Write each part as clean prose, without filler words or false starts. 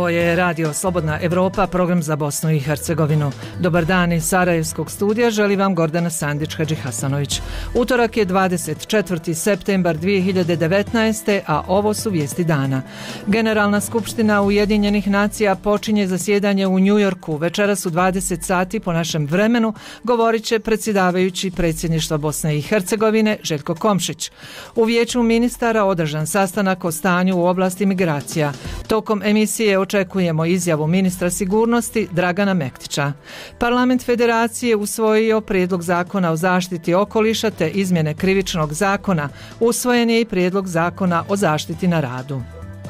Ovo je Radio Slobodna Evropa, program za Bosnu i Hercegovinu. Dobar dan iz Sarajevskog studija, želi vam Gordana Sandić-Hadžihasanović. Utorak je 24. septembar 2019. a ovo su vijesti dana. Generalna skupština Ujedinjenih nacija počinje zasjedanje u Njujorku. Večeras u 20 sati po našem vremenu govorit će predsjedavajući predsjedništva Bosne i Hercegovine Željko Komšić. U vijeću ministara održan sastanak o stanju u oblasti migracija. Tokom emisije očekujemo izjavu ministra sigurnosti Dragana Mektića. Parlament Federacije usvojio prijedlog zakona o zaštiti okoliša te izmjene krivičnog zakona. Usvojen je i prijedlog zakona o zaštiti na radu.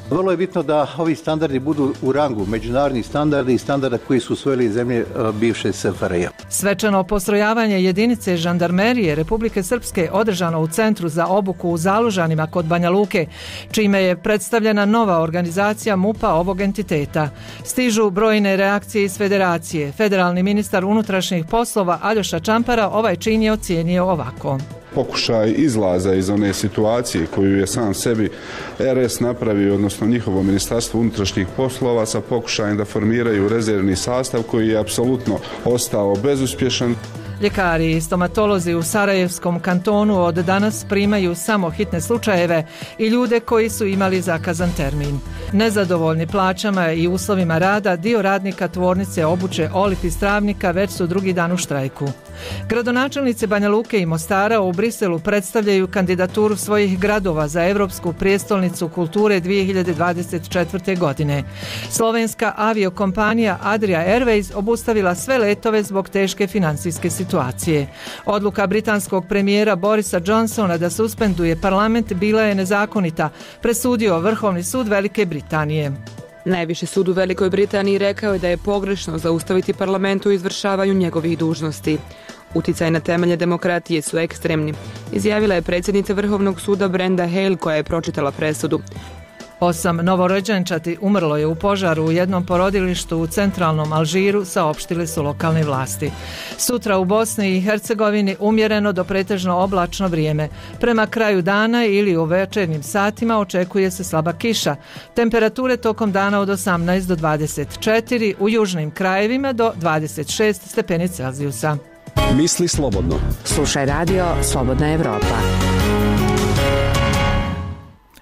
Vrlo je bitno da ovi standardi budu u rangu međunarodnih standarda i standarda koji su usvojili zemlje bivše SFRJ. Svečano postrojavanje jedinice žandarmerije Republike Srpske održano u Centru za obuku u Zalužanima kod Banja Luke, čime je predstavljena nova organizacija MUP-a ovog entiteta. Stižu brojne reakcije iz Federacije. Federalni ministar unutrašnjih poslova Aljoša Čampara ovaj čin je ocijenio ovako. Pokušaj izlaza iz one situacije koju je sam sebi RS napravio, odnosno njihovo ministarstvo unutrašnjih poslova, sa pokušajem da formiraju rezervni sastav koji je apsolutno ostao bezuspješan. Ljekari i stomatolozi u Sarajevskom kantonu od danas primaju samo hitne slučajeve i ljude koji su imali zakazan termin. Nezadovoljni plaćama i uslovima rada, dio radnika tvornice obuće Olip iz Travnika već su drugi dan u štrajku. Gradonačelnice Banja Luke i Mostara u Briselu predstavljaju kandidaturu svojih gradova za Europsku prijestolnicu kulture 2024. godine. Slovenska aviokompanija Adria Airways obustavila sve letove zbog teške financijske situacije. Odluka britanskog premijera Borisa Johnsona da suspenduje parlament bila je nezakonita, presudio Vrhovni sud Velike Britanije. Najviši sud u Velikoj Britaniji rekao je da je pogrešno zaustaviti parlament u izvršavanju njegovih dužnosti. Uticaj na temelje demokratije su ekstremni, izjavila je predsjednica Vrhovnog suda Brenda Hale koja je pročitala presudu. 8 novorođenčati umrlo je u požaru u jednom porodilištu u centralnom Alžiru, saopštile su lokalne vlasti. Sutra u Bosni i Hercegovini umjereno do pretežno oblačno vrijeme. Prema kraju dana ili u večernjim satima očekuje se slaba kiša. Temperature tokom dana od 18 do 24, u južnim krajevima do 26 stepeni Celzijusa. Misli slobodno. Slušaj Radio Slobodna Evropa.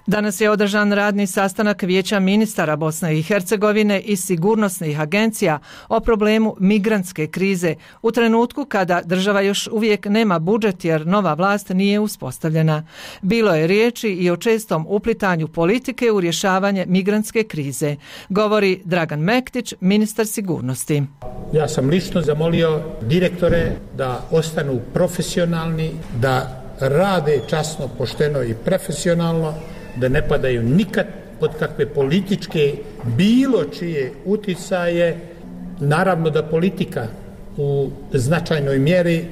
Danas je održan radni sastanak Vijeća ministara Bosne i Hercegovine i sigurnosnih agencija o problemu migrantske krize u trenutku kada država još uvijek nema budžet jer nova vlast nije uspostavljena. Bilo je riječi i o čestom uplitanju politike u rješavanje migrantske krize, govori Dragan Mektić, ministar sigurnosti. Ja sam lično zamolio direktore da ostanu profesionalni, da rade časno, pošteno i profesionalno, da ne padaju nikad pod kakve političke bilo čije uticaje. Naravno da politika u značajnoj mjeri,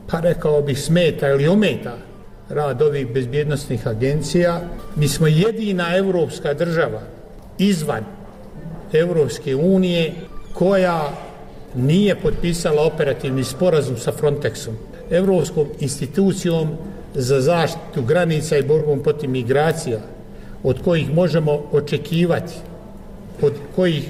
pa rekao bih, smeta ili ometa rad ovih bezbjednosnih agencija. Mi smo jedina europska država izvan Europske unije koja nije potpisala operativni sporazum sa Frontexom, Europskom institucijom za zaštitu granica i borbom protiv migracija, od kojih možemo očekivati, od kojih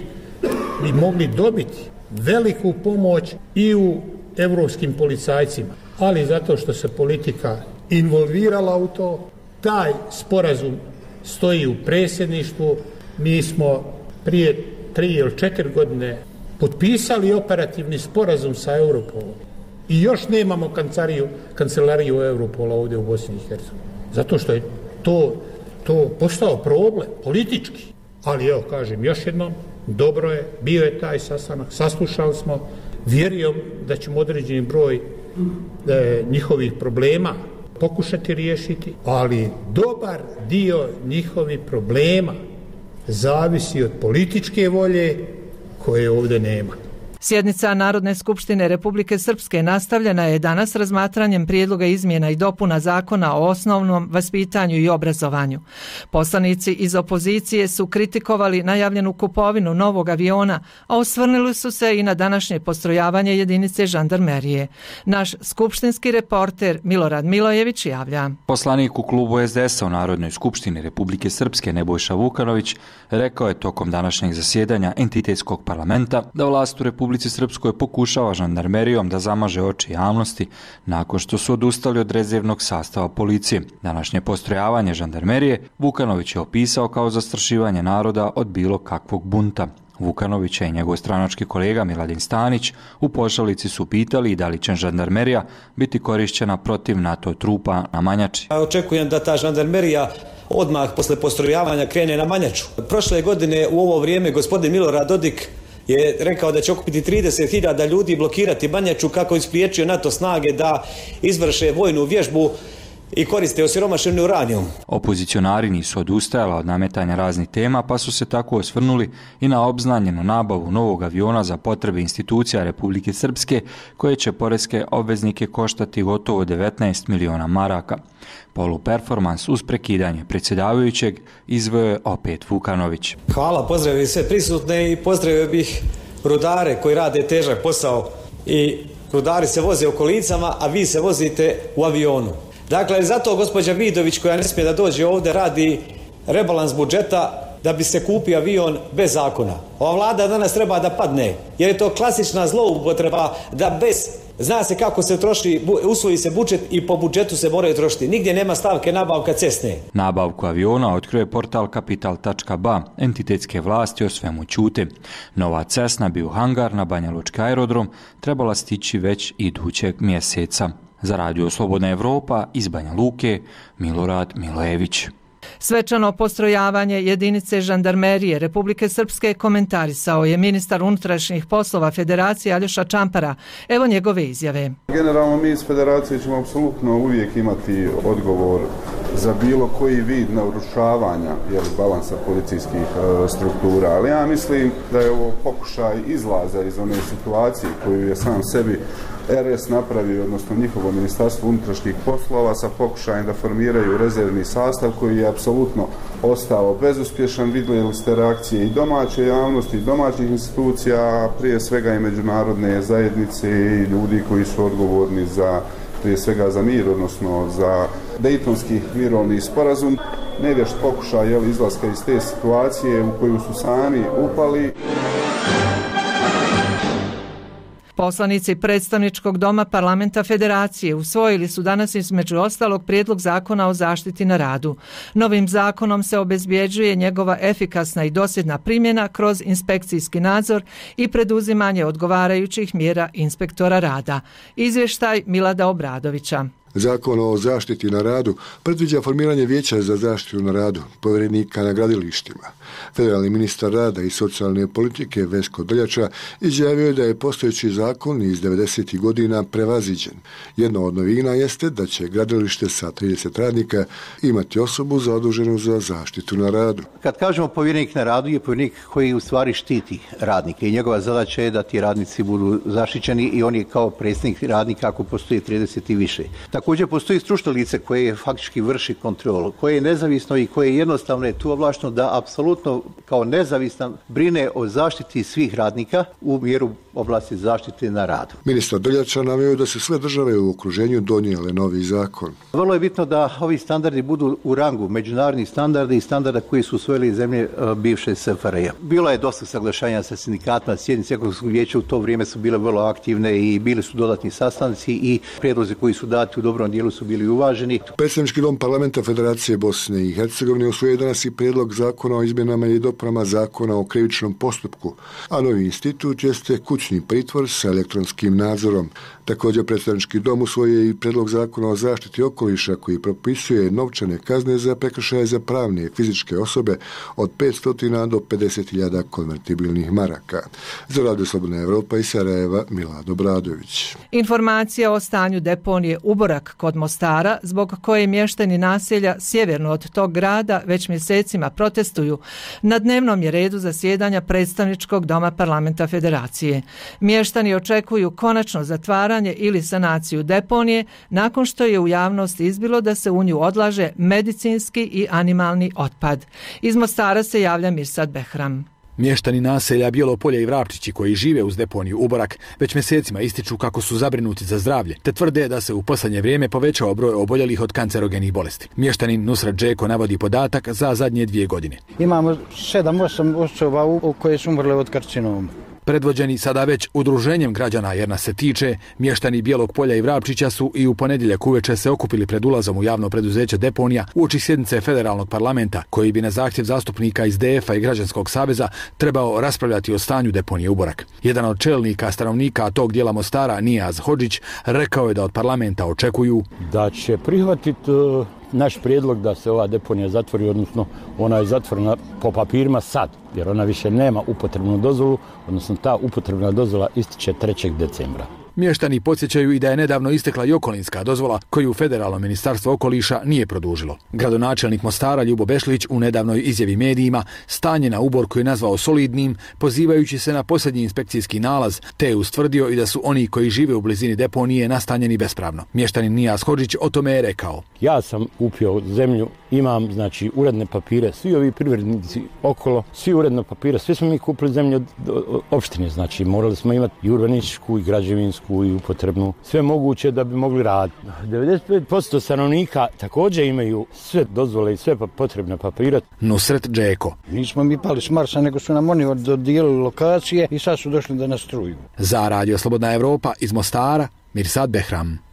bi mogli dobiti veliku pomoć i u europskim policajcima. Ali zato što se politika involvirala u to, taj sporazum stoji u predsjedništvu. Mi smo prije 3 ili 4 godine potpisali operativni sporazum sa Europolom. I još nemamo kancelariju Europola ovdje u Bosni i Hercegovini. Zato što je to postao problem politički. Ali evo, kažem još jednom, dobro je, bio je taj sastanak, saslušali smo, vjerujem da ćemo određeni broj njihovih problema pokušati riješiti, ali dobar dio njihovih problema zavisi od političke volje koje ovdje nema. Sjednica Narodne skupštine Republike Srpske nastavljena je danas razmatranjem prijedloga izmjena i dopuna Zakona o osnovnom vaspitanju i obrazovanju. Poslanici iz opozicije su kritikovali najavljenu kupovinu novog aviona, a osvrnuli su se i na današnje postrojavanje jedinice žandarmerije. Naš skupštinski reporter Milorad Milojević javlja. Poslanik u klubu SDS-a u Narodnoj skupštini Republike Srpske Nebojša Vukanović rekao je tokom današnjeg zasjedanja entitetskog parlamenta da vlast u Republici Srpskoj pokušava žandarmerijom da zamaže oči javnosti nakon što su odustali od rezervnog sastava policije. Današnje postrojavanje žandarmerije Vukanović je opisao kao zastrašivanje naroda od bilo kakvog bunta. Vukanovića i njegov stranački kolega Miladin Stanić u pošalici su pitali da li će žandarmerija biti korišćena protiv NATO trupa na Manjači. Očekujem da ta žandarmerija odmah posle postrojavanja krene na Manjaču. Prošle godine u ovo vrijeme gospodin Milorad Dodik je rekao da će okupiti 30.000 ljudi i blokirati Manjaču kako je spriječio NATO snage da izvrše vojnu vježbu i koriste osiromašeni uranijum. Opozicionari nisu odustajali od nametanja raznih tema, pa su se tako osvrnuli i na obznanjenu nabavu novog aviona za potrebe institucija Republike Srpske, koje će poreske obveznike koštati gotovo 19 miliona maraka. Poluperformans uz prekidanje predsjedavajućeg izveo je opet Vukanović. Hvala, pozdravio sve prisutne i pozdravio bih rudare koji rade težak posao i rudari se voze u kolicama, a vi se vozite u avionu. Dakle, zato gospođa Vidović, koja ne smije da dođe ovdje, radi rebalans budžeta da bi se kupio avion bez zakona. Ova vlada danas treba da padne, jer je to klasična zloupotreba da bez, zna se kako se troši, usvoji se budžet i po budžetu se moraju trošiti. Nigdje nema stavke nabavka cesne. Nabavku aviona otkrio je portal kapital.ba. Entitetske vlasti o svemu ćute. Nova cesna bi u hangar na Banja Lučki aerodrom trebala stići već idućeg mjeseca. Za Radio Slobodna Evropa iz Banja Luke, Milorad Milojević. Svečano postrojavanje jedinice žandarmerije Republike Srpske komentarisao je ministar unutrašnjih poslova Federacije Aljoša Čampara. Evo njegove izjave. Generalno mi iz Federacije ćemo apsolutno uvijek imati odgovor za bilo koji vid narušavanja balansa policijskih struktura, ali ja mislim da je ovo pokušaj izlaza iz one situacije koju je sam sebi RS napravio, odnosno njihovo ministarstvo unutrašnjih poslova, sa pokušajem da formiraju rezervni sastav koji je apsolutno ostao bezuspješan. Vidjeli ste reakcije i domaće javnosti, i domaćih institucija, prije svega i međunarodne zajednice i ljudi koji su odgovorni za, prije svega za mir, odnosno za Dejtonski mirovni sporazum. Nevješt pokušaj izlaska iz te situacije u koju su sami upali. Poslanici predstavničkog doma parlamenta Federacije usvojili su danas između ostalog prijedlog zakona o zaštiti na radu. Novim zakonom se obezbjeđuje njegova efikasna i dosljedna primjena kroz inspekcijski nadzor i preduzimanje odgovarajućih mjera inspektora rada. Izvještaj Milada Obradovića. Zakon o zaštiti na radu predviđa formiranje vijeća za zaštitu na radu, povjerenika na gradilištima. Federalni ministar rada i socijalne politike Vesko Drljača izjavio je da je postojeći zakon iz 90. godina prevaziđen. Jedna od novina jeste da će gradilište sa 30 radnika imati osobu zaduženu za zaštitu na radu. Kad kažemo povjerenik na radu, je povjerenik koji u stvari štiti radnike i njegova zadaća je da ti radnici budu zaštićeni i on je kao predstavnik radnika ako postoji 30 i više. Također postoji stručno lice koje faktički vrši kontrolu, koje je nezavisno i koje jednostavno je tu ovlašteno da apsolutno kao nezavistan brine o zaštiti svih radnika u mjeru oblasti zaštite na radu. Ministar Drljača naveo da se sve države u okruženju donijele novi zakon. Vrlo je bitno da ovi standardi budu u rangu međunarodnih standarda i standarda koji su usvojili zemlje bivše SFRJ. Bilo je dosta saglašanja sa sindikatima, sjednice Ekonomskog vijeća u to vrijeme su bile vrlo aktivne i bili su dodatni sastanci i prijedlozi koji su dati u dobrom dijelu su bili uvaženi. Predstavnički dom parlamenta Federacije Bosne i Hercegovine usvojio danas i prijedlog zakona o izmjenama i dopunama zakona o krivičnom postupku, a novi institut jeste kućni pritvor sa elektronskim nadzorom. Također predstavnički dom usvojio i prijedlog zakona o zaštiti okoliša koji propisuje novčane kazne za prekršaje za pravne i fizičke osobe od 500 do 50.000 konvertibilnih maraka. Za Radio Slobodna Evropa iz Sarajeva, Milad Obradović. Informacija o stanju deponije Ubora Uborak kod Mostara, zbog koje mještani naselja sjeverno od tog grada već mjesecima protestuju, na dnevnom je redu zasjedanja predstavničkog doma parlamenta Federacije. Mještani očekuju konačno zatvaranje ili sanaciju deponije nakon što je u javnosti izbilo da se u nju odlaže medicinski i animalni otpad. Iz Mostara se javlja Mirsad Behram. Mještani naselja Bijelo Polje i Vrapčići koji žive uz deponiju Uborak već mjesecima ističu kako su zabrinuti za zdravlje, te tvrde da se u posljednje vrijeme povećao broj oboljelih od kancerogenih bolesti. Mještanin Nusrat Džeko navodi podatak za zadnje 2 godine. Imamo 7-8 osoba koje su umrle od karcinoma. Predvođeni sada već udruženjem građana jer nas se tiče, mještani Bijelog Polja i Vrapčića su i u ponedjeljak uveče se okupili pred ulazom u javno preduzeće deponija uoči sjednice federalnog parlamenta, koji bi na zahtjev zastupnika iz DF-a i Građanskog saveza trebao raspravljati o stanju deponije Uborak. Jedan od čelnika stanovnika tog dijela Mostara, Nijaz Hodžić, rekao je da od parlamenta očekuju da će prihvatiti naš prijedlog da se ova deponija zatvori, odnosno ona je zatvorena po papirima sad, jer ona više nema upotrebnu dozvolu, odnosno ta upotrebna dozvola ističe 3. decembra. Mještani podsjećaju i da je nedavno istekla i okolinska dozvola koju Federalno ministarstvo okoliša nije produžilo. Gradonačelnik Mostara Ljubo Bešlić u nedavnoj izjavi medijima stanje na Uborku je nazvao solidnim, pozivajući se na posljednji inspekcijski nalaz, te je ustvrdio i da su oni koji žive u blizini deponije nastanjeni bespravno. Mještanin Nijaz Hodžić o tome je rekao: ja sam kupio zemlju, imam uredne papire, svi ovi privrednici okolo, svi uredne papire, svi smo mi kupili zemlju od opštine, morali smo imati i urbanističku i građevinsku i upotrebnu, sve moguće da bi mogli raditi. 95% stanovnika također imaju sve dozvole i sve potrebne papire. Nusret Džeko: nismo mi pali s Marsa, nego su nam oni dodijelili lokacije i sad su došli da nas truju. Za Radio Slobodna Evropa iz Mostara, Mirsad Behram.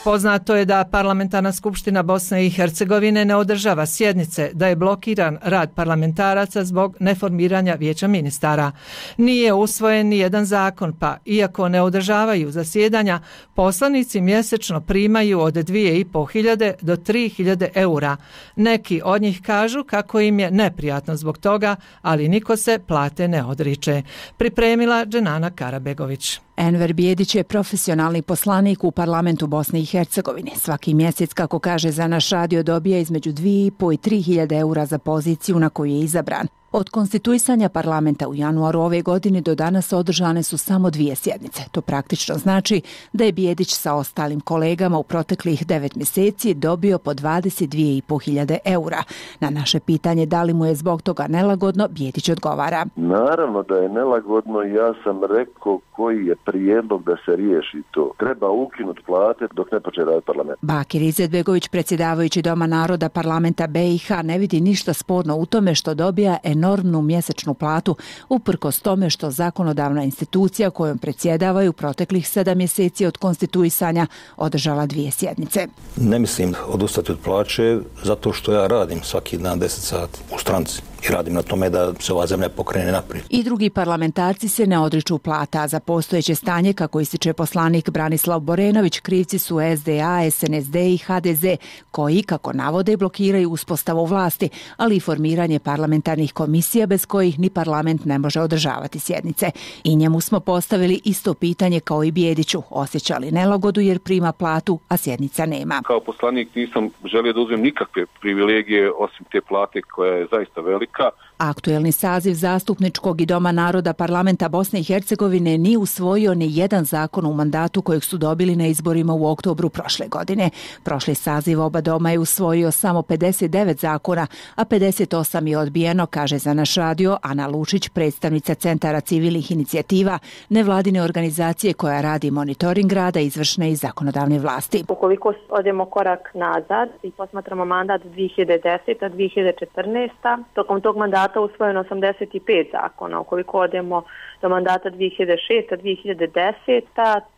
Poznato je da Parlamentarna skupština Bosne i Hercegovine ne održava sjednice, da je blokiran rad parlamentaraca zbog neformiranja vijeća ministara. Nije usvojen ni jedan zakon, pa iako ne održavaju zasjedanja, poslanici mjesečno primaju od 2.500 do 3.000 eura. Neki od njih kažu kako im je neprijatno zbog toga, ali niko se plate ne odriče. Pripremila Dženana Karabegović. Enver Bijedić je profesionalni poslanik u parlamentu Bosne i Hercegovine. Svaki mjesec, kako kaže za naš radio, dobija između 2.500 i 3.000 eura za poziciju na koju je izabran. Od konstituisanja parlamenta u januaru ove godine do danas održane su samo 2 sjednice. To praktično znači da je Bijedić sa ostalim kolegama u proteklih 9 mjeseci dobio po 22.500 eura. Na naše pitanje da li mu je zbog toga nelagodno, Bijedić odgovara: naravno da je nelagodno, ja sam rekao koji je prijedlog da se riješi to. Treba ukinuti plate dok ne počne raditi parlament. Bakir Izetbegović, predsjedavajući Doma naroda parlamenta BiH, ne vidi ništa sporno u tome što dobija enormnu mjesečnu platu, uprkos tome što zakonodavna institucija kojom predsjedavaju u proteklih 7 mjeseci od konstituisanja održala 2 sjednice. Ne mislim odustati od plaće zato što ja radim svaki dan 10 sati u stranci i radim na tome da se ova zemlja pokrene naprijed. I drugi parlamentarci se ne odriču plata. Za postojeće stanje, kako ističe poslanik Branislav Borenović, krivci su SDA, SNSD i HDZ, koji, kako navode, blokiraju uspostavu vlasti, ali i formiranje parlamentarnih komisija bez kojih ni parlament ne može održavati sjednice. I njemu smo postavili isto pitanje kao i Bijediću: osjeća li nelagodu jer prima platu, a sjednica nema. Kao poslanik nisam želio da uzmem nikakve privilegije osim te plate koja je zaista velika. Aktuelni saziv zastupničkog i Doma naroda parlamenta Bosne i Hercegovine nije usvojio ni jedan zakon u mandatu kojeg su dobili na izborima u oktobru prošle godine. Prošli saziv oba doma je usvojio samo 59 zakona, a 58 je odbijeno, kaže za naš radio Ana Lučić, predstavnica Centara civilnih inicijativa, nevladine organizacije koja radi monitoring rada izvršne i zakonodavne vlasti. Ukoliko odemo korak nazad i posmatramo mandat 2010-2014, tokom tog mandata usvojeno 85 zakona. Ukoliko odemo do mandata 2006-2010,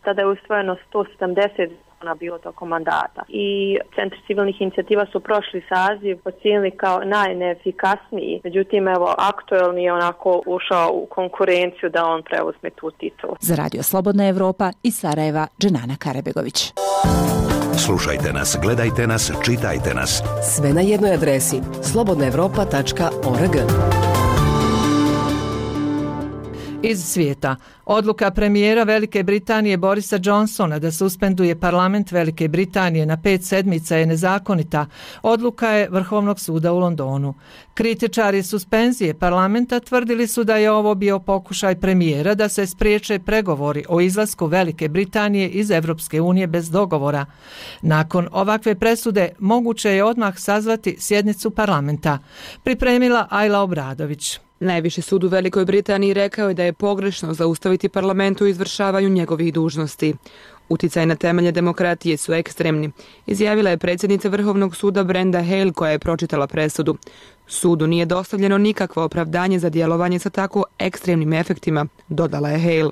tada je usvojeno 170 zakona bilo tokom mandata. I Centri civilnih inicijativa su prošli saziv ocijenili kao najneefikasniji. Međutim, aktuelni je onako ušao u konkurenciju da on preuzme tu titulu. Za Radio Slobodna Evropa iz Sarajeva, Dženana Karabegović. Slušajte nas, gledajte nas, čitajte nas. Sve na jednoj adresi slobodnaevropa.org. Iz svijeta. Odluka premijera Velike Britanije Borisa Johnsona da suspenduje parlament Velike Britanije na 5 sedmica je nezakonita. Odluka je Vrhovnog suda u Londonu. Kritičari suspenzije parlamenta tvrdili su da je ovo bio pokušaj premijera da se spriječe pregovori o izlasku Velike Britanije iz Europske unije bez dogovora. Nakon ovakve presude moguće je odmah sazvati sjednicu parlamenta. Pripremila Ajla Obradović. Najviši sud u Velikoj Britaniji rekao je da je pogrešno zaustaviti parlament u izvršavanju njegovih dužnosti. Uticaj na temelje demokratije su ekstremni, izjavila je predsjednica Vrhovnog suda Brenda Hale koja je pročitala presudu. Sudu nije dostavljeno nikakvo opravdanje za djelovanje sa tako ekstremnim efektima, dodala je Hale.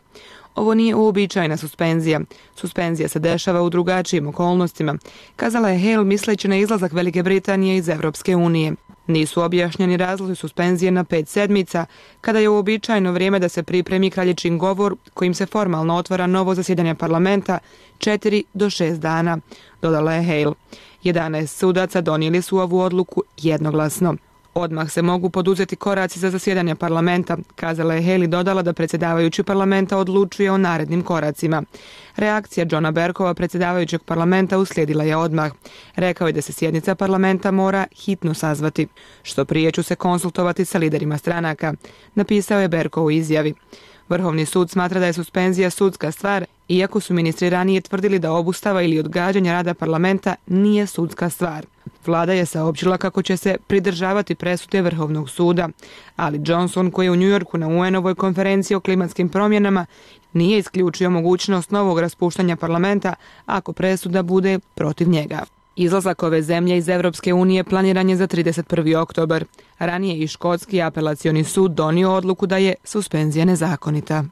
Ovo nije uobičajena suspenzija. Suspenzija se dešava u drugačijim okolnostima, kazala je Hale misleći na izlazak Velike Britanije iz Europske unije. Nisu objašnjeni razlozi suspenzije na 5 sedmica, kada je uobičajeno vrijeme da se pripremi kraljičin govor kojim se formalno otvara novo zasjedanje parlamenta 4 do 6 dana, dodala je Hale. 11 sudaca donijeli su ovu odluku jednoglasno. Odmah se mogu poduzeti koraci za zasjedanje parlamenta, kazala je Hale i dodala da predsjedavajući parlamenta odlučuje o narednim koracima. Reakcija Johna Berkova, predsjedavajućeg parlamenta, uslijedila je odmah. Rekao je da se sjednica parlamenta mora hitno sazvati. Što prije ću se konsultovati sa liderima stranaka, napisao je Berkov u izjavi. Vrhovni sud smatra da je suspenzija sudska stvar, iako su ministri ranije tvrdili da obustava ili odgađanje rada parlamenta nije sudska stvar. Vlada je saopćila kako će se pridržavati presude Vrhovnog suda, ali Johnson, koji je u New Yorku na UN-ovoj konferenciji o klimatskim promjenama, nije isključio mogućnost novog raspuštanja parlamenta ako presuda bude protiv njega. Izlazak ove zemlje iz Europske unije planiran je za 31. oktobar. Ranije i Škotski apelacioni sud donio odluku da je suspenzija nezakonita.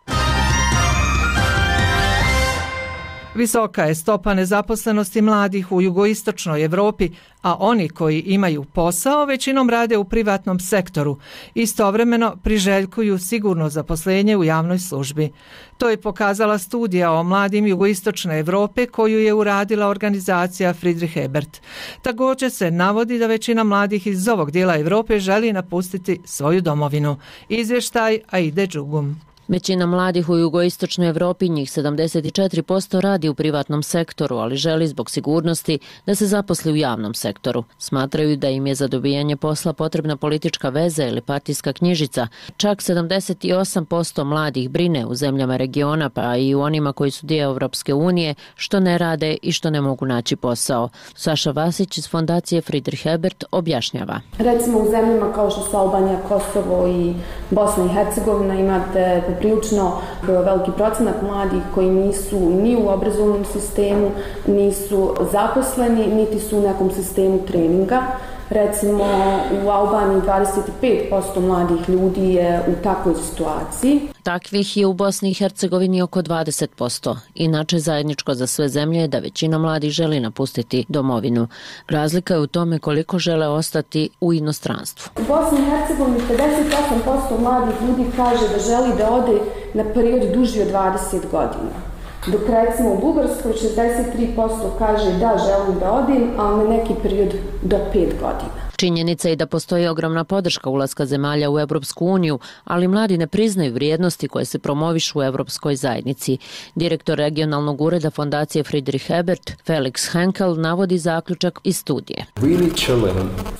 Visoka je stopa nezaposlenosti mladih u jugoistočnoj Europi, a oni koji imaju posao većinom rade u privatnom sektoru. Istovremeno priželjkuju sigurno zaposlenje u javnoj službi. To je pokazala studija o mladim jugoistočne Europe koju je uradila organizacija Friedrich Ebert. Također se navodi da većina mladih iz ovog dijela Europe želi napustiti svoju domovinu. Izvještaj Aide Đugum. Većina mladih u jugoistočnoj Europi, njih 74%, radi u privatnom sektoru, ali želi zbog sigurnosti da se zaposli u javnom sektoru. Smatraju da im je za dobijanje posla potrebna politička veza ili partijska knjižica. Čak 78% mladih brine u zemljama regiona, pa i u onima koji su dio Europske unije, što ne rade i što ne mogu naći posao. Saša Vasić iz fondacije Friedrich Ebert objašnjava. Recimo u zemljama kao što su Albanija, Kosovo i Bosna i Hercegovina imate prilično veliki procenat mladih koji nisu ni u obrazovnom sistemu, nisu zaposleni, niti su u nekom sistemu treninga. Recimo u Albaniji 25% mladih ljudi je u takvoj situaciji. Takvih je u Bosni i Hercegovini oko 20%. Inače, zajedničko za sve zemlje je da većina mladih želi napustiti domovinu. Razlika je u tome koliko žele ostati u inostranstvu. U Bosni i Hercegovini 58% mladih ljudi kaže da želi da ode na period duži od 20 godina. Dok recimo u Bugarskoj 63% kaže da želim da odim, ali na neki period do 5 godina. Činjenica je da postoji ogromna podrška ulaska zemalja u Europsku uniju, ali mladi ne priznaju vrijednosti koje se promovišu u Europskoj zajednici. Direktor regionalnog ureda fondacije Friedrich Ebert, Felix Henkel, navodi zaključak iz studije.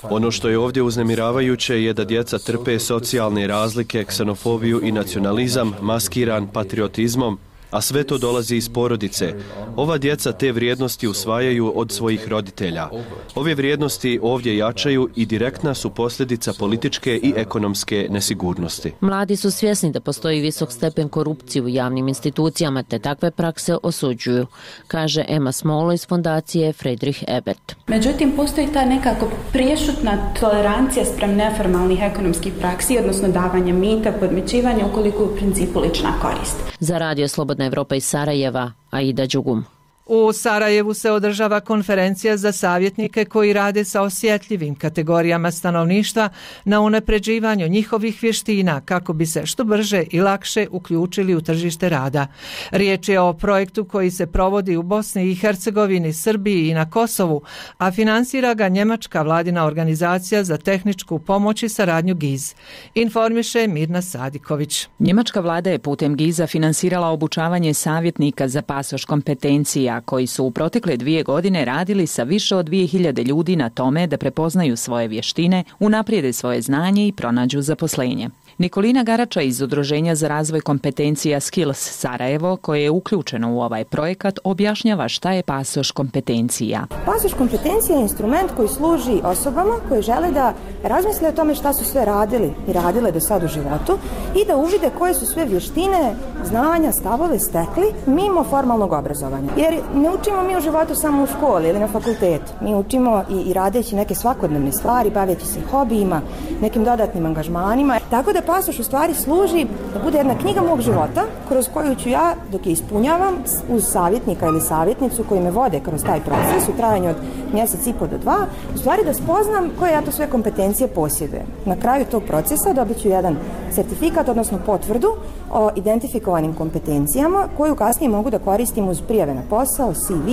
Ono što je ovdje uznemiravajuće je da djeca trpe socijalne razlike, ksenofobiju i nacionalizam maskiran patriotizmom, a sve to dolazi iz porodice. Ova djeca te vrijednosti usvajaju od svojih roditelja. Ove vrijednosti ovdje jačaju i direktna su posljedica političke i ekonomske nesigurnosti. Mladi su svjesni da postoji visok stepen korupcije u javnim institucijama, te takve prakse osuđuju, kaže Emma Smolo iz fondacije Friedrich Ebert. Međutim, postoji ta nekako prešutna tolerancija spram neformalnih ekonomskih praksi, odnosno davanja mita, podmićivanja, ukoliko u principu lična korist. Za Radio Slobodna Evropa iz Sarajeva, Aida Đugum. U Sarajevu se održava konferencija za savjetnike koji rade sa osjetljivim kategorijama stanovništva na unapređivanju njihovih vještina kako bi se što brže i lakše uključili u tržište rada. Riječ je o projektu koji se provodi u Bosni i Hercegovini, Srbiji i na Kosovu, a finansira ga njemačka vladina organizacija za tehničku pomoć i saradnju GIZ. Informiše Mirna Sadiković. Njemačka vlada je putem GIZ-a finansirala obučavanje savjetnika za pasoš kompetencija koji su u protekle 2 godine radili sa više od 2000 ljudi na tome da prepoznaju svoje vještine, unaprijede svoje znanje i pronađu zaposlenje. Nikolina Garača iz Udruženja za razvoj kompetencija Skills Sarajevo, koje je uključeno u ovaj projekat, objašnjava šta je pasoš kompetencija. Pasoš kompetencija je instrument koji služi osobama koji žele da razmisle o tome šta su sve radili i radile do sad u životu i da uvide koje su sve vještine, znanja, stavove stekli mimo formalnog obrazovanja. Jer ne učimo mi u životu samo u školi ili na fakultetu. Mi učimo i radeći neke svakodnevne stvari, baveći se hobijima, nekim dodatnim angažmanima. Tako da pasoš u stvari služi da bude jedna knjiga mog života kroz koju ću ja, dok je ispunjavam, uz savjetnika ili savjetnicu koji me vode kroz taj proces u trajanju od 1,5 mjeseca do 2, u stvari da spoznam koje ja to sve kompetencije posjedujem. Na kraju tog procesa dobit ću jedan sertifikat, odnosno potvrdu o identifikovanim kompetencijama koju kasnije mogu da koristim uz prijave na posao, CV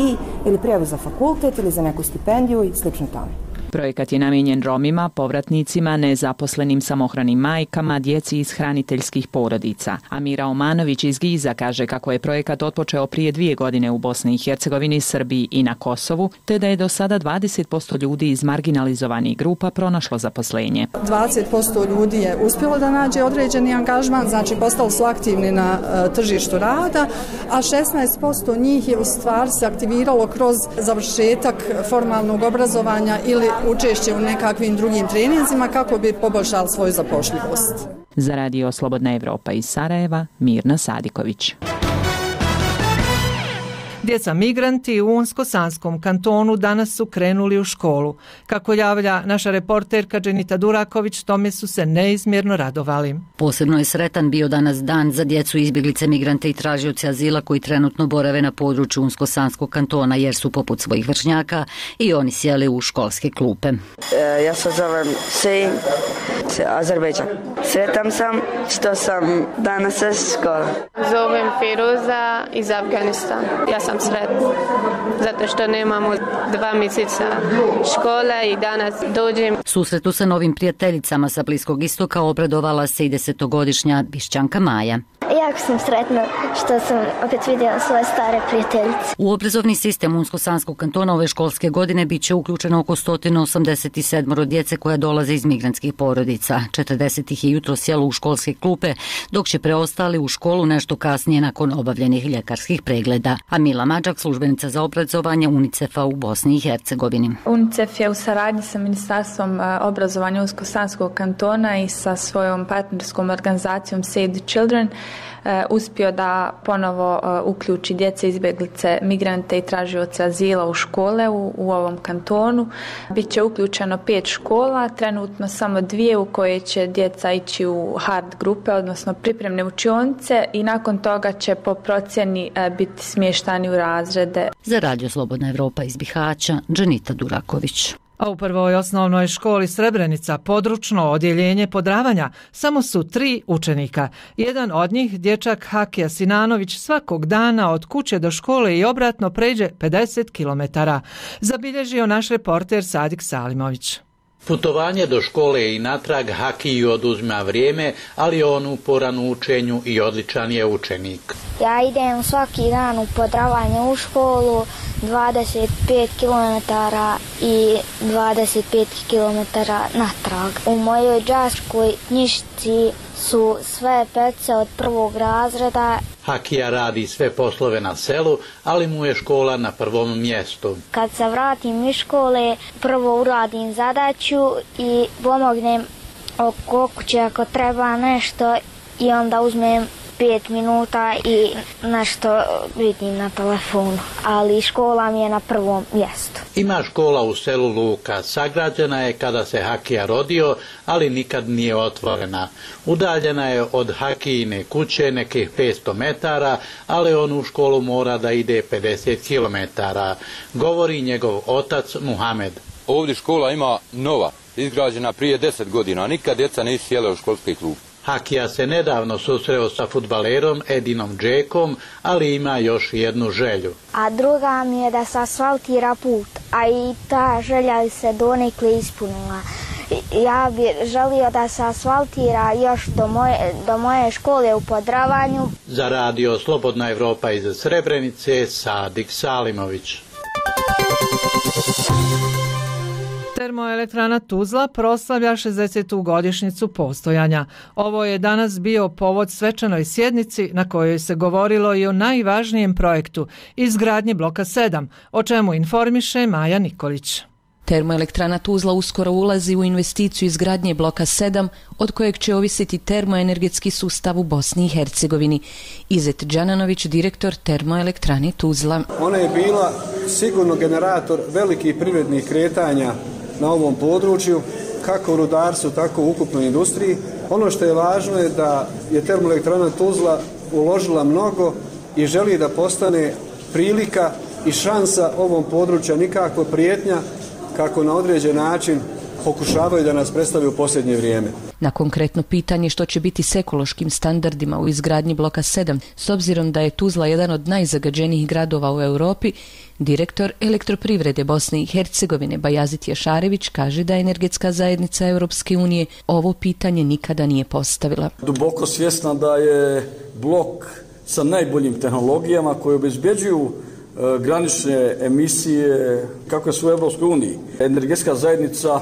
ili prijavu za fakultet ili za neku stipendiju i slično tome. Projekat je namijenjen Romima, povratnicima, nezaposlenim samohranim majkama, djeci iz hraniteljskih porodica. Amira Omanović iz GIZ-a kaže kako je projekat otpočeo prije 2 godine u Bosni i Hercegovini, Srbiji i na Kosovu, te da je do sada 20% ljudi iz marginalizovanih grupa pronašlo zaposlenje. 20% ljudi je uspjelo da nađe određeni angažman, znači postali su aktivni na tržištu rada, a 16% njih je u stvari se aktiviralo kroz završetak formalnog obrazovanja ili učešće u nekakvim drugim treninzima kako bi poboljšali svoju zapošljivost. Za Radio Slobodna Evropa iz Sarajeva, Mirna Sadiković. Djeca migranti u Unsko-Sanskom kantonu danas su krenuli u školu. Kako javlja naša reporterka Dženita Duraković, tome su se neizmjerno radovali. Posebno je sretan bio danas dan za djecu izbjeglice, migrante i tražioce azila koji trenutno borave na području Unsko-Sanskog kantona jer su poput svojih vršnjaka i oni sjeli u školske klupe. Ja se zovem Sejim, Azerbejdžan. Sretan sam što sam danas sa škola. Zovem Firuza iz Afganistana. Ja sam sretna zato što nemamo 2 mjeseca škole i danas dođem. Susretu sa novim prijateljicama sa Bliskog istoka obradovala se i 10-godišnja Bišćanka Maja. Jako sam sretna što sam opet vidjela svoje stare prijateljice. U obrazovni sistem Unsko-Sanskog kantona ove školske godine bit će uključeno oko 187 djece koja dolaze iz migrantskih porodica. 40 ih je jutro sjelo u školske klupe, dok će preostali u školu nešto kasnije nakon obavljenih ljekarskih pregleda. A Mila Mađak, službenica za obrazovanje UNICEF-a u Bosni i Hercegovini. UNICEF je u saradnji sa Ministarstvom obrazovanja Unsko-Sanskog kantona i sa svojom partnerskom organizacijom Save the Children uspio da ponovo uključi djece izbjeglice, migrante i tražioce azila u škole u ovom kantonu. Biće uključeno 5 škola, trenutno samo 2 u koje će djeca ići u hard grupe, odnosno pripremne učionice i nakon toga će po procjeni biti smještani u razrede. Za Radio Slobodna Evropa iz Bihaća, Dženita Duraković. A u prvoj osnovnoj školi Srebrenica, područno odjeljenje Podravanja, samo su 3 učenika. Jedan od njih, dječak Hakija Sinanović, svakog dana od kuće do škole i obratno pređe 50 km. Zabilježio naš reporter Sadik Salimović. Putovanje do škole i natrag Hakiju oduzima vrijeme, ali on uporan u učenju i odličan je učenik. Ja idem svaki dan u Podravanje u školu, 25 km i 25 km natrag. U mojoj đačkoj knjižici su sve pece od 1. razreda. Hakija radi sve poslove na selu, ali mu je škola na prvom mjestu. Kad se vratim iz škole, prvo uradim zadaću i pomognem oko kuće ako treba nešto i onda uzmem 5 minuta i nešto vidim na telefonu, ali škola mi je na prvom mjestu. Ima škola u selu Luka, sagrađena je kada se Hakija rodio, ali nikad nije otvorena. Udaljena je od Hakijine kuće nekih 500 metara, ali on u školu mora da ide 50 kilometara, govori njegov otac Muhamed. Ovdje škola ima nova, izgrađena prije 10 godina, a nikad djeca nisu sjela u školski klub. Hakija se nedavno susreo sa fudbalerom Edinom Džekom, ali ima još jednu želju. A druga mi je da se asfaltira put, a i ta želja se donekle ispunila. Ja bih želio da se asfaltira još do moje škole u Podravanju. Za radio Slobodna Evropa iz Srebrenice, Sadik Salimović. Termoelektrana Tuzla proslavlja 60. godišnjicu postojanja. Ovo je danas bio povod svečanoj sjednici na kojoj se govorilo i o najvažnijem projektu, izgradnji bloka 7, o čemu informiše Maja Nikolić. Termoelektrana Tuzla uskoro ulazi u investiciju izgradnje bloka 7, od kojeg će ovisiti termoenergetski sustav u Bosni i Hercegovini. Izet Đananović, direktor Termoelektrane Tuzla. Ona je bila sigurno generator velikih privrednih kretanja na ovom području, kako u rudarstvu, tako u ukupnoj industriji. Ono što je važno je da je Termoelektrana Tuzla uložila mnogo i želi da postane prilika i šansa ovom području, nikakva prijetnja kako na određen način pokušavaju da nas predstave u posljednje vrijeme. Na konkretno pitanje što će biti s ekološkim standardima u izgradnji bloka 7, s obzirom da je Tuzla jedan od najzagađenijih gradova u Europi, direktor Elektroprivrede Bosne i Hercegovine Bajazit Jašarević kaže da energetska zajednica Europske unije ovo pitanje nikada nije postavila. Duboko svjesna da je blok sa najboljim tehnologijama koje obezbeđuju granične emisije kako su u Europskoj uniji. Energetska zajednica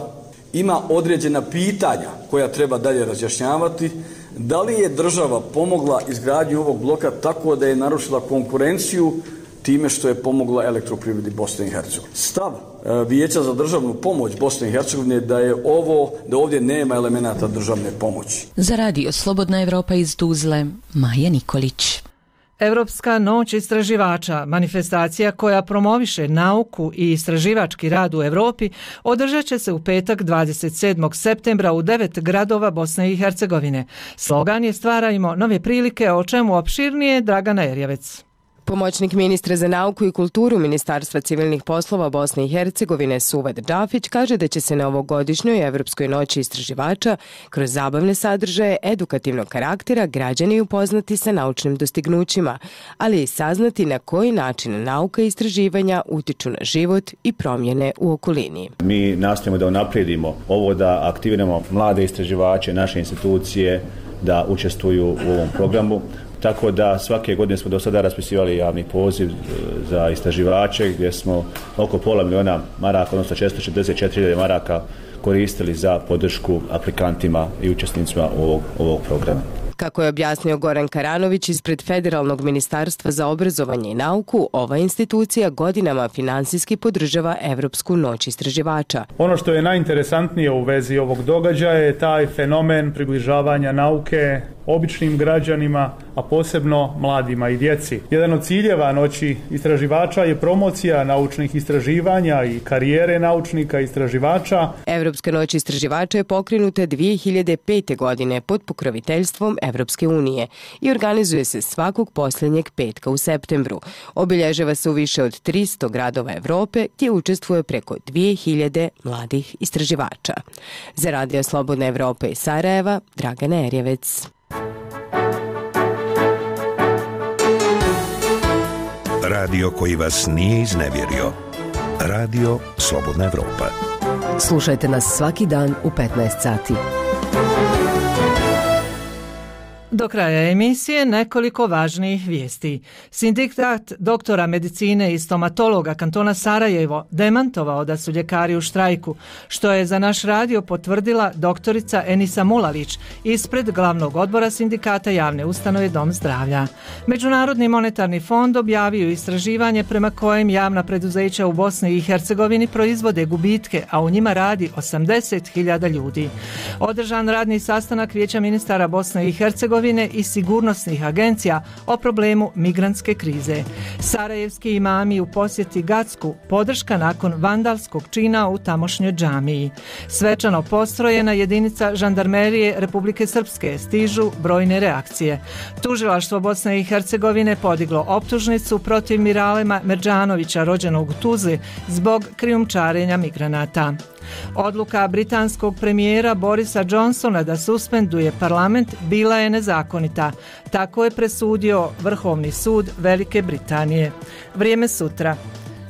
ima određena pitanja koja treba dalje razjašnjavati. Da li je država pomogla izgradnju ovog bloka tako da je narušila konkurenciju time što je pomogla Elektroprivredi Bosne i Hercegovine? Stav Vijeća za državnu pomoć Bosne i Hercegovine da ovdje nema elemenata državne pomoći. Za radio Slobodna Evropa iz Tuzle, Maja Nikolić. Evropska noć istraživača, manifestacija koja promoviše nauku i istraživački rad u Europi, održat će se u petak 27. septembra u 9 gradova Bosne i Hercegovine. Slogan je Stvarajmo nove prilike, o čemu opširnije Dragana Erjavec. Pomoćnik ministra za nauku i kulturu Ministarstva civilnih poslova Bosne i Hercegovine Suvad Džafić kaže da će se na ovogodišnjoj Evropskoj noći istraživača kroz zabavne sadržaje edukativnog karaktera građani upoznati sa naučnim dostignućima, ali i saznati na koji način nauka i istraživanja utiču na život i promjene u okolini. Mi nastojimo da unaprijedimo ovo, da aktiviramo mlade istraživače, naše institucije da učestvuju u ovom programu. Tako da svake godine smo do sada raspisivali javni poziv za istraživače gdje smo oko pola miliona maraka, odnosno 444.000 maraka koristili za podršku aplikantima i učesnicima ovog programa. Kako je objasnio Goran Karanović ispred Federalnog ministarstva za obrazovanje i nauku, ova institucija godinama finansijski podržava Evropsku noć istraživača. Ono što je najinteresantnije u vezi ovog događaja je taj fenomen približavanja nauke običnim građanima, a posebno mladima i djeci. Jedan od ciljeva noći istraživača je promocija naučnih istraživanja i karijere naučnika istraživača. Evropska noć istraživača je pokrenuta 2005. godine pod pokroviteljstvom Evropske unije i organizuje se svakog posljednjeg petka u septembru. Obilježava se u više od 300 gradova Evrope gdje učestvuje preko 2000 mladih istraživača. Za radio Slobodna Evropa iz Sarajeva, Dragana Erjavec. Radio koji vas nije iznevjerio. Radio Slobodna Evropa. Slušajte nas svaki dan u 15 sati. Do kraja emisije nekoliko važnijih vijesti. Sindikat doktora medicine i stomatologa kantona Sarajevo demantovao da su ljekari u štrajku, što je za naš radio potvrdila doktorica Enisa Mulalić ispred glavnog odbora sindikata javne ustanove Dom zdravlja. Međunarodni monetarni fond objavio istraživanje prema kojem javna preduzeća u Bosni i Hercegovini proizvode gubitke, a u njima radi 80.000 ljudi. Održan radni sastanak Vijeća ministara Bosne i Hercegovine Hercegovine i sigurnosnih agencija o problemu migrantske krize. Sarajevski imami u posjeti Gacku, podrška nakon vandalskog čina u tamošnjoj džamiji. Svečano postrojena jedinica žandarmerije Republike Srpske, stižu brojne reakcije. Tužilaštvo Bosne i Hercegovine podiglo optužnicu protiv Miralema Merdžanovića, rođenog u Tuzli, zbog krijumčarenja migranata. Odluka britanskog premijera Borisa Johnsona da suspenduje parlament bila je nezakonita. Tako je presudio Vrhovni sud Velike Britanije. Vrijeme sutra.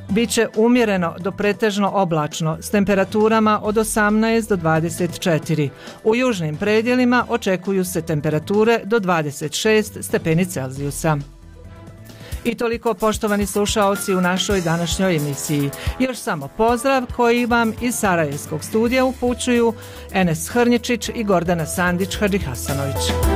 Biće umjereno do pretežno oblačno s temperaturama od 18 do 24. U južnim predjelima očekuju se temperature do 26 stepeni Celzijusa. I toliko, poštovani slušaoci, u našoj današnjoj emisiji. Još samo pozdrav koji vam iz Sarajevskog studija upućuju Enes Hrnječić i Gordana Sandić Hadžihasanović.